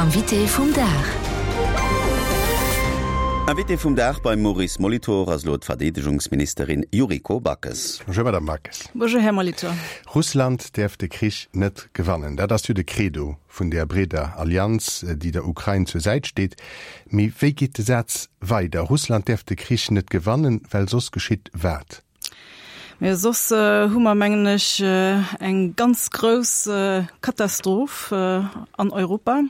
Invité vum Dag. Invité vum Dag beim Maurice Molitor ass elo d'Verdeedegungsministerin Yuriko Backes. Bonjour Madame Backes. Bonjour Här Molitor. Russland däerf de Krich net gewannen. Dat ass jo de Credo vun där breeder Allianz, déi der Ukrain zur Säit steet. Mee wéi geet de Saz weider? Russland däerf de Krich net gewannen, well soss geschitt wat? Mee soss hu mer, mengen ech, eng ganz grouss Katastroph an Europa,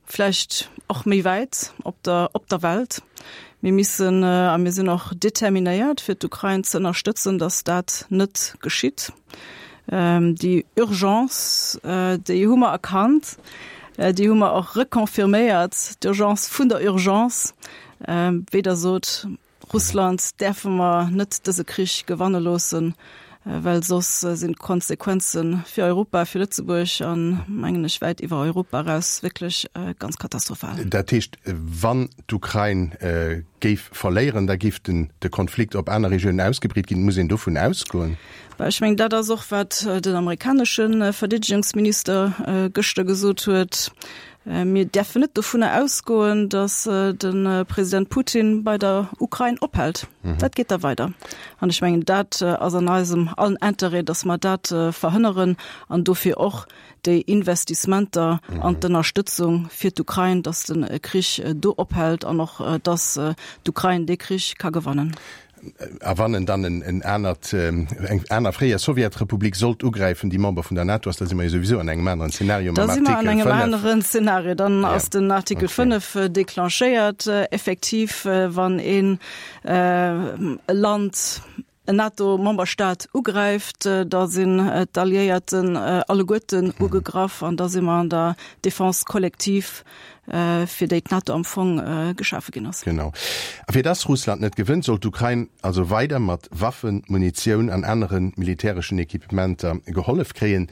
vläicht och méi wäit op der, op der Welt. Mir missen a mir sinn och determinéiert, fir d'Ukrain ze ënnerstëtzen, datt dat net geschitt. Déi Urgence, déi hu mer erkannt, déi hu mer och reconfirméiert, d'Urgence vun der Urgence, wéi Der sot, Russland däerfe mer net dëse Krich gewanne loossen, well soss sinn d'Konsequenze fir Europa, fir Lëtzebuerg an, mengen ech, wäit iwwer Europa eraus wierklech ganz katastrophal. Dat heescht, wann d'Ukrain géif verléieren, da géif de Konflikt op aner Regiounen ausgebreet ginn. Muss een dovun ausgoen? Ech mengen, dat ass och, wat den amerikanesche Verdeedegungsminister gëschter gesot huet. Mir däerfen net dovunner ausgoen, datt de President Putin bei der Ukrain ophält. Dat geet da weider. An ech mengen, dat ass an eisem allen Interêt, datt mer dat verhënneren an dofir och déi Investissementer an d'Ënnerstëtzung fir d'Ukrain, datt de Krich do ophält an och datt d'Ukrain dee Krich ka gewannen. A wann en dann en anert, eng aner fréier Sowjetrepublik sollt ugräifen, déi Member vun der NATO ass, da si mer jo souwisou an engem aneren Szenario mam Artikel 5. Da si mer an engem aneren Szenario. Dann ass den Artikel 5 declenchéiert. Effektiv, wann een e Land, en NATO-Memberstaat ugräift, da sinn d'Alliéierten alleguerten ugegraff an da si mer an der Défense collective. fir déi d'NATO am Fong geschafe ginn ass. Genau. A fir dass Russland net gewënnt, soll d'Ukrain also weider mat Waffen, Munitioun an anere militäreschen Equipementer gehollef kréien.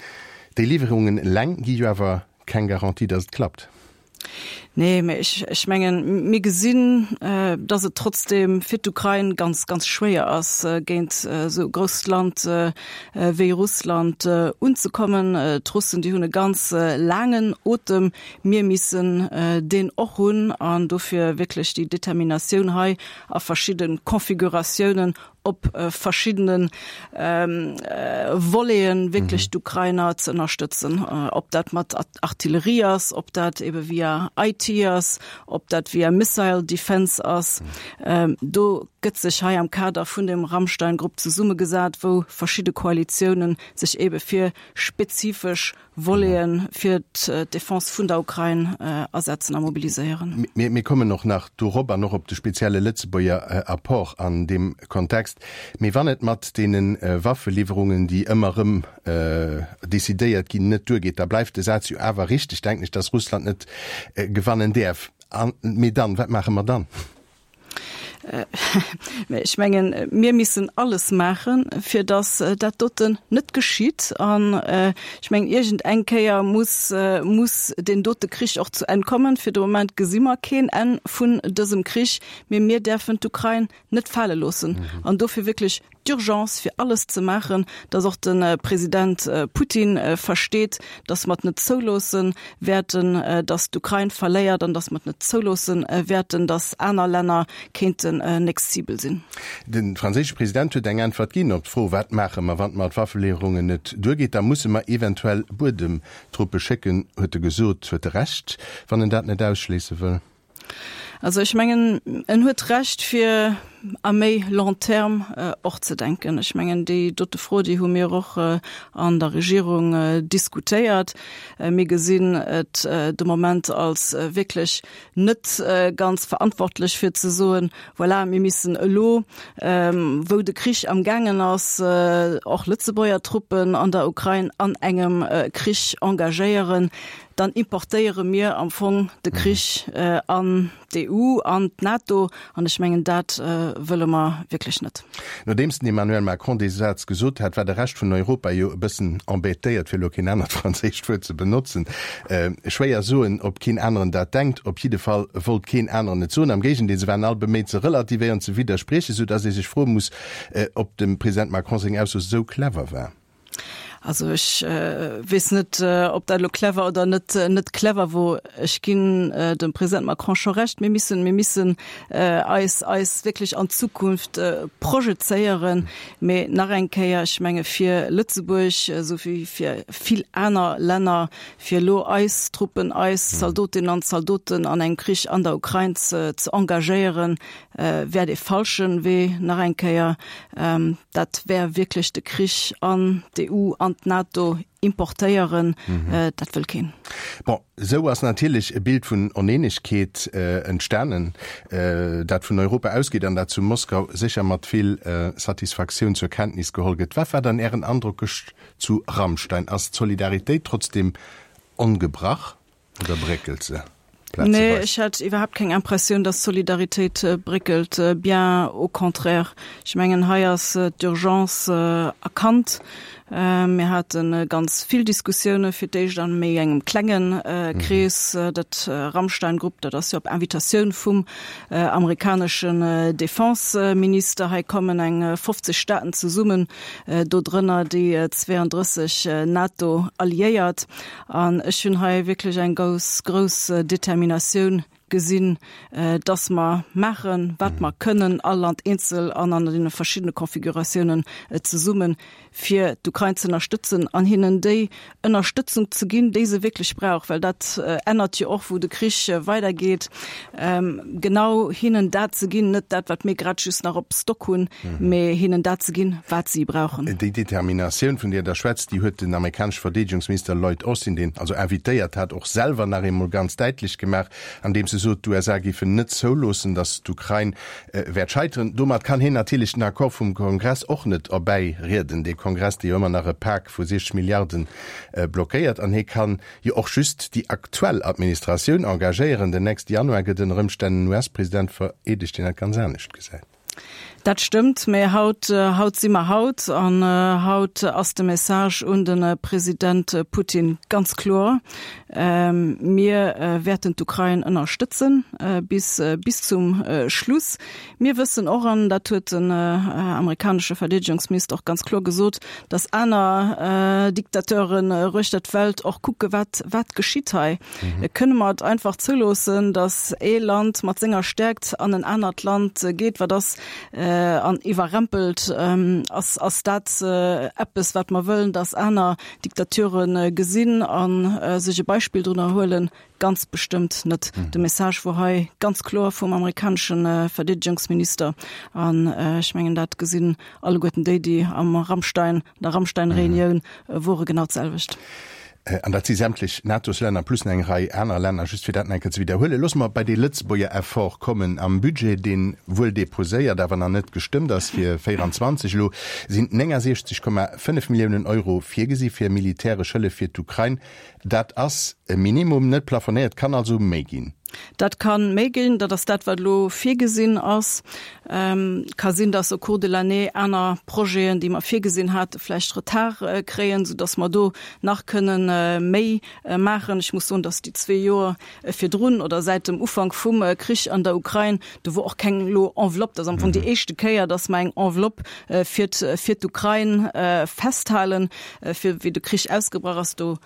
Déi Liwwerungen eleng gi jo awer keng Garantie, dass et klappt. Nee, mä ech, ech mengen, mir gesinn, dass et trotzdeem fir d'Ukrain ganz, ganz schwéier ass, géint esou e grousst Land wéi Russland unzekommen. D'Russen, déi hunn e ganz laangen Otem. Mir missen deen och hunn an dofir wierklech déi Determinatioun hei a verschidde Configuratiounen op verschiddene Voleten wierklech d'Ukrainer ze ënnerstëtzen, ob dat mat Artillerie ass, ob dat ebe via IT ass, ob dat via Missile Defense ass. Do gëtt sech hei am Kader vun dem Ramstein-Grupp zesummegesat, wou verschidde Koalitiounen sech ebe fir spezifesch Voleten fir d'Defense vun der Ukrain asetzen a mobiliséieren. Mir kommen och nach dorop an och op de spezielle Lëtzebuerger Apport an deem Kontext. Mee wann et mat deene Waffeliwwerungen, déi ëmmer erëm decidéiert ginn, net duergeet, da bleift de Saz jo awer richteg, denken ech, dass Russland net gewannen däerf. Mee dann, wat maache mer dann? Mä ech mengen, mir missen alles maachen, fir datt dat doten net geschitt. An ech mengen, iergend eng Kéier muss, muss deen dote Krich och zu Enn kommen. Fir de Moment gesi mer keen Enn vun dësem Krich. Mee mir däerfen d'Ukrain net fale loossen. An dofir wierklech d'Urgence fir alles ze maachen, datt och de President Putin versteet, datt mer et net zouloosse wäerten, datt d'Ukrain verléiert an datt mer et net zouloosse wäerten, datt aner Länner kéinten nächst Cible sinn. De franséische President huet eng Äntwert ginn op d'Fro, Wat maache mer, wann et mat Waffeliwwerungen net duergeet? Da musse mer eventuell Buedemtruppe schécken, huet e gesot. Huet e Recht, wann en dat net ausschléisse wëll? Also ech mengen, en huet Recht fir à méi long terme och ze denken. Ech mengen, déi dote Fro, déi hu mir och an der Regierung diskutéiert. Mir gesinn et de Moment als wierklech net ganz verantwortlech fir ze soen, voilà, mir missen elo, wou de Krich amgaangen ass, och Lëtzebuerger Truppen an der Ukrain an engem Krich engagéieren. Dann importéiere mir am Fong de Krich an d'EU, an d'NATO, an ech mengen, dat wëlle mer wierklech net. Nodeems den Emmanuel Macron dee Saz gesot hat, war de Rescht vun Europa jo e bëssen embêtéiert, fir elo keen anert franséischt Wuert ze benotzen. Schwéier soen, ob keen aneren dat denkt. Op jidde Fall wollt keen aneren et soen. Am Géigendeel, se waren all beméit ze relativéieren, ze widderspriechen, soudass ee sech froe muss, ob dem President Macron seng Ausso sou clever war. Also ech weess net, ob dat elo clever oder net net clever wor. Ech ginn dem President Macron scho Recht, mir missen, mir missen eis eis wierklech an d'Zukunft projezéieren. Mee nach eng Kéier, ech menge fir Lëtzebuerg, esou wéi fir vill aner Länner, fir elo eis Truppen, eis Zaldotinnen an Zaldoten an engem Krich an der Ukrain ze ze engagéieren, wär dee falsche Wee. Nach eng Kéier, dat wär wierklech de Krich an d'EU, an d'NATO importéieren. Dat wëll keen. Bon, esou ass natierlech e Bild vun Oneenegkeet entstanen, dat vun Europa ausgeet an dat zu Moskau sécher mat vill Satisfaktioun zur Kenntnis geholl gëtt. Wat war dann Ären Androck gëscht zu Ramstein? Ass d'Solidaritéit trotzdeem ongebrach? Oder bréckelt se plazeweis? Nee, ech hat iwwerhaapt keng Impressioun, dass d'Solidaritéit bréckelt, bien au contraire. Ech mengen, hei ass d'Urgence erkannt. Mir hate ganz vill Diskussioune fir d'éischt a méi engem klenge Krees. Dat Ramstein-Grupp, dat ass jo op Invitatioun vum amerikaneschen Defenseminister. Hei kommen eng 50 Staaten zesummen, dodrënner déi 32 NATO-Alliéiert. An ech hunn hei wierklech eng gous grouss Determinatioun gesinn, dass mer maachen, wat mer kënnen, all Land eenzel an an deene verschiddene Konfiguratiounen zesummen, fir d'Ukrain ze ënnerstëtzen an hinnen déi Ënnerstëtzung ze ginn, déi se wierklech brauch, well dat ännert jo och, wou de Krich weidergeet, genau hinnen dat ze ginn, net dat, wat mir grad just nach op Stock hunn, mee hinnen dat ze ginn, wat si brauchen. Déi Determinatioun, vun där Der schwätzt, déi huet den amerikanesche Verdeedegungsminister Lloyd Austin, deen also invitéiert hat, och selwer nach eemol ganz däitlech gemaach, andeems e sot, d'USA géifen net zouloossen, datt d'Ukrain wäert scheiteren. Domat kann hien natierlech den Accord vum Kongress och net erbäirieden, dee Kongress, dee jo ëmmer nach e Pak vu 60 Milliarden blockéiert. An hie kann jo och just déi aktuell Administratioun engagéieren. Den nächste Januar gëtt ënner Ëmstänn en US-President vereedegt, deen dat ganz anescht gesäit. Dat stëmmt, mä haut, haut si mer haut an haut ass de Message un de President Putin ganz kloer, Mir wäerten d'Ukrain ënnerstëtzen bis, bis zum Schluss. Mir wëssen och, an dat huet den amerikanesche Verdeedegungsminister och ganz kloer gesot, datt aner Diktateuren uechter d'Welt och kucke wat, wat geschitt hei. Kënne mer et einfach zouloossen, datt ee Land mat senger Stäerkt an en anert Land geet, wat ass an iwwerrempelt? Ass, ass dat eppes, wat mer wëllen, datt aner Diktature gesinn a sech e Beispill drunner huelen? Ganz bestëmmt net. De Message wor hei ganz kloer vum amerikanesche Verdeedegungsminister an ech mengen, dat gesinn alleguerten déi, déi am Ramstein, an der Ramstein-Reunioun wore genau d'selwecht. An dat si sämtlech NATO-s-Länner plus nach eng Rei aner Länner, just fir dat nach eng Kéier ze widderhuelen. Loosse mer bei dee Lëtzebuerger Effort kommen. Am Budget, dee wuel deposéiert, awer nach net gestëmmt ass fir 24 elo, sinn 69,5 Milliounen Euro virgesi fir militäresch Hëllef fir d'Ukrain. Dat ass e Minimum, net plafonéiert, kann also méi ginn. Dat ka méi ginn. Dat ass dat, wat elo virgesinn ass. Ka sinn, dass au cours de l'année aner Projeten, déi mer virgesinn hate, vläicht Retard kréien, soudass mer do nach kënnen méi maachen. Ech muss soen, dass déi zwee Joer virdrun oder säit dem Ufank vum Krich an der Ukrain, do wor och keng elo Enveloppe, dat ass am Fong déi éischte Kéier, dass mer eng Enveloppe fir fir d'Ukrain festhalen, fir wéi de Krich ausgebrach ass, do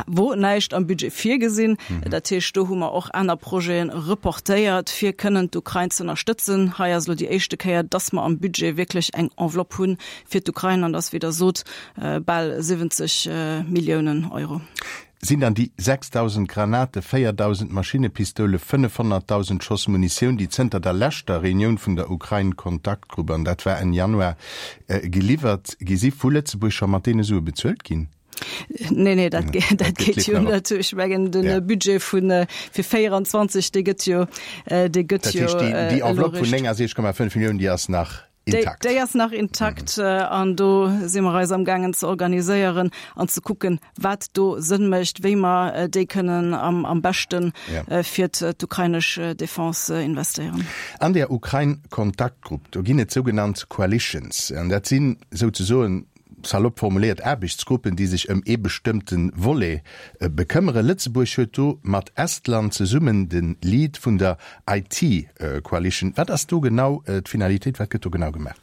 wor näischt am Budget virgesinn. Dat heescht, do hu mer och aner Projete reportéiert, fir kënnen d'Ukrain ze ënnerstëtzen. Hei ass elo déi éischte Kéier, dass mer am Budget wierklech eng Enveloppe hu fir d'Ukrain, an dat ass, wéi Der sot, bal 70 Milliounen Euro. Sinn dann déi 6.000 Granate, 4.000 Maschinnepistoule, 500.000 Schoss Munitioun, déi zënter der leschter Reunioun vun der Ukrain-Kontaktgrupp, an dat war Enn Januar, geliwwert gi si vu Lëtzebuerg, scho mat deene Sue bezuelt ginn? Nee, nee, dat, dat geet jo net. Ech mengen, den Budget vun fir 24, dee gëtt jo, dee gëtt jo. Dat heescht, déi Enveloppe vun 69,5 Milliounen, déi ass nach intakt? Déi ass nach intakt an do si mer eis amgaangen ze organiséieren an ze kucken, wat do Sënn mécht, wéi mer déi kënnen am, am beschte fir d'ukrainesch Defense investéieren. An där Ukrain-Kontaktgrupp, do ginn et sougenannt Coalitions. An dat sinn souzesoen, salopp formuléiert, Aarbechtsgruppen, déi sech ëm ee bestëmmte Volet bekëmmere. Lëtzebuerg huet do mat Estland zesummen de Lead vun der IT-Coalition. Wat ass do genau d'Finalitéit? Wat gëtt do genau gemaach?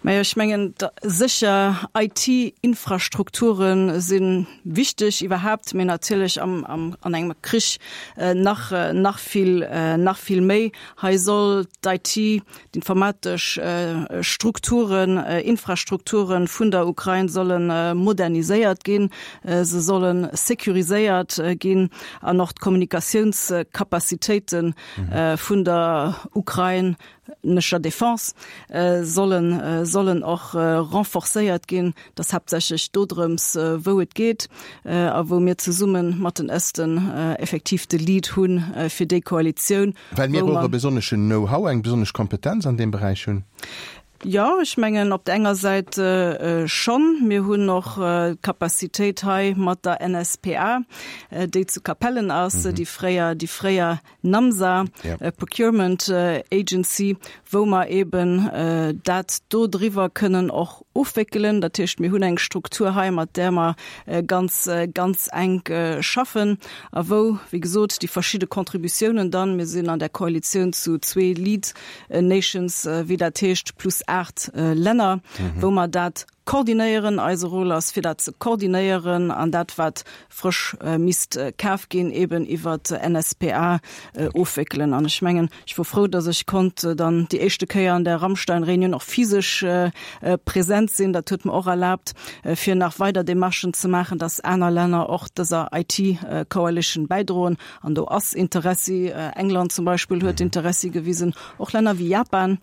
Majo, ech mengen, sécher IT-Infrastrukture si wichteg iwwerhaapt, mee natierlech am, am, an engem Krich nach, nach vill, nach vill méi. Hei soll d'IT, d'informatesch Strukturen, Infrastrukture vun der Ukrain solle moderniséiert ginn, se solle securiséiert ginn an och d'Kommunikatiounscapacitéite vun der Ukrain nescher Defense sollen sollen och renforcéiert ginn. Et ass haaptsächlech dodrëms wou et geet a wou mir zesumme mat den Esten effektiv de Lead hu fir déi Koalitioun. Well mir och e besonneschen Know-how, eng besonnesch Kompetenz an deem Beräich hunn. Jo, ech mengen op der enger Säit schonn. Mir hunn och d'Capacitéit hei mat der NSPA, déi zu Capellen ass, déi fréier déi fréier NAMSA, Procurement Agency, wou mer eben dat do driwwer kënnen och ofwéckelen. Dat heescht, mir hunn eng Struktur hei, mat där mer ganz, ganz enk schaffen a wou, wéi gesot, déi verschidde Contributiounen dann, mir sinn an där Koalitioun zu zwee Lead Nations, wéi dat heescht, plus aacht Länner, wou mer dat Koordinéieren, Eise Rôle ass fir dat ze koordinéieren an dat wat frësch misst kaf ginn eben iwwer d'NSPA ofwéckelen. An ech mengen, ech wor frou, datt ech konnt dann déi éischte Kéier an der Ramstein-Réunioun och physesch present sinn. Dat huet mer och erlaabt fir nach weider Demarchen ze maachen, datt aner Länner och dëser IT-Coalition bäidroen. An do ass Interessi, England zum Beispill huet Interessi gewisen, och Länner wéi Japan,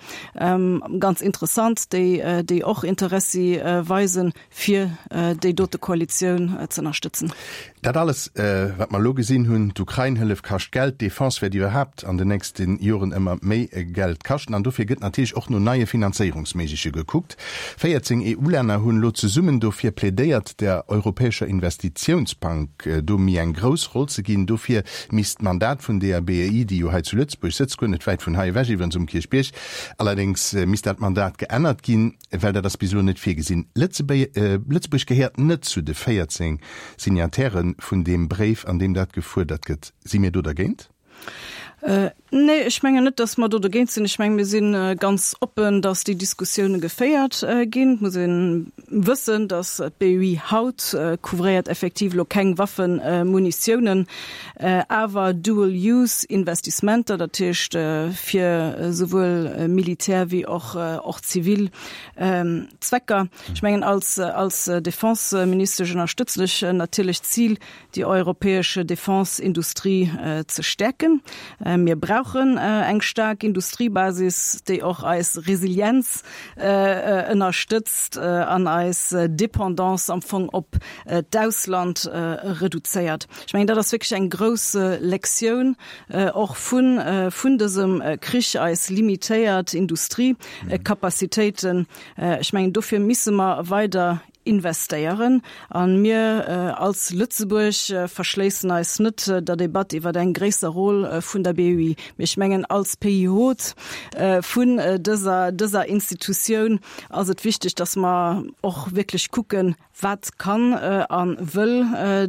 ganz interessant, déi, déi och Interessi weisen, fir déi dote Koalitioun ze ënnerstëtzen. Dat alles, wat mer elo gesinn hunn, d'Ukrain-Hëllef kascht Geld, d'Defense wäert iwwerhaapt an den nächste Joren ëmmer méi Geld kaschten an dofir gëtt natierlech och no neie Finanzéierungsméigleche gekuckt. 14 EU-Länner hunn elo zesummen dofir plädéiert, der Europäescher Investitiounsbank do méi eng grouss Roll ze ginn. Dofir misst d'Mandat vun deeër BEI, déi jo hei zu Lëtzebuerg sëtzt, guer net wäit vun hei ewech iwwerens um Kierchbierg, allerdéngs misst dat Mandat geännert ginn, well dat ass bis elo net virgesinn. Lëtzebuerg gehéiert net zu de 14 Signataire vun deem Bréif, an deem dat gefuerdert gëtt. Si mir do dergéint? Nee, ech mengen net, datt mer do dogéint sinn. Ech menge mir si ganz oppen, datt déi Diskussioune geféiert ginn. Et muss ee wëssen, datt d'BUI haut couvréiert effektiv elo keng Waffen, Munitiounen, awer dual use Investissementer, dat heescht fir esouwuel Militär wéi och zivil Zwecker. Ech mengen als Defenseministesch ënnerstëtzen ech natierlech d'Zil, déi europäesch Defense-Industrie ze stäerken. Mir brauchen eng staark Industriebasis, déi och eis Resilienz ënnerstëtzt an eis Dependance am Fong op d'Ausland reduzéiert. Ech mengen, dat ass wierklech eng grouss Lektioun och vun vun dësem Krich, eis limitéiert Industriekapazitéiten. Ech mengen, dofir misse mer weider investéieren. A mir als Lëtzebuerg verschléissen eis net der Debatt iwwer eng gréisser Rôle vun der BEI. Mee ech mengen, als Pays hôte vun dëser, dëser Institutioun ass et wichteg, dass mer och wierklech kucken, Wat kann a wëll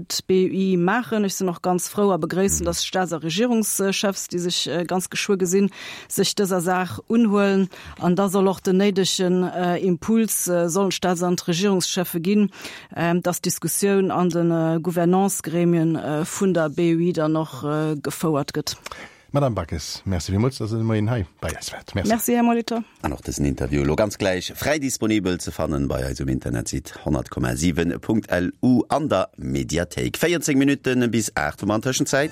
d'BEI maachen? Ech sinn och ganz frou a begréissen, dass d'Staats a Regierungschefs, déi sech ganz geschwë gesinn, sech dëser Saach unhuelen. An da soll och den néidegen Impuls sollen d'Staats an d'Regierungscheffe ginn, dass d'Diskussioun an de Gouvernance-Gremien vun der BEI dann och gefouert gëtt. Madame Backes, Merci villmools, dass Der de Moien hei bei eis waart. Merci. Merci, Här Molitor. An och dësen Interview elo ganz gläich fräi disponibel ze fannen bei eis um Internetsite 100,7.lu an der Mediathéik. 14 Minutten bis 8 hu mer an Tëschenzäit.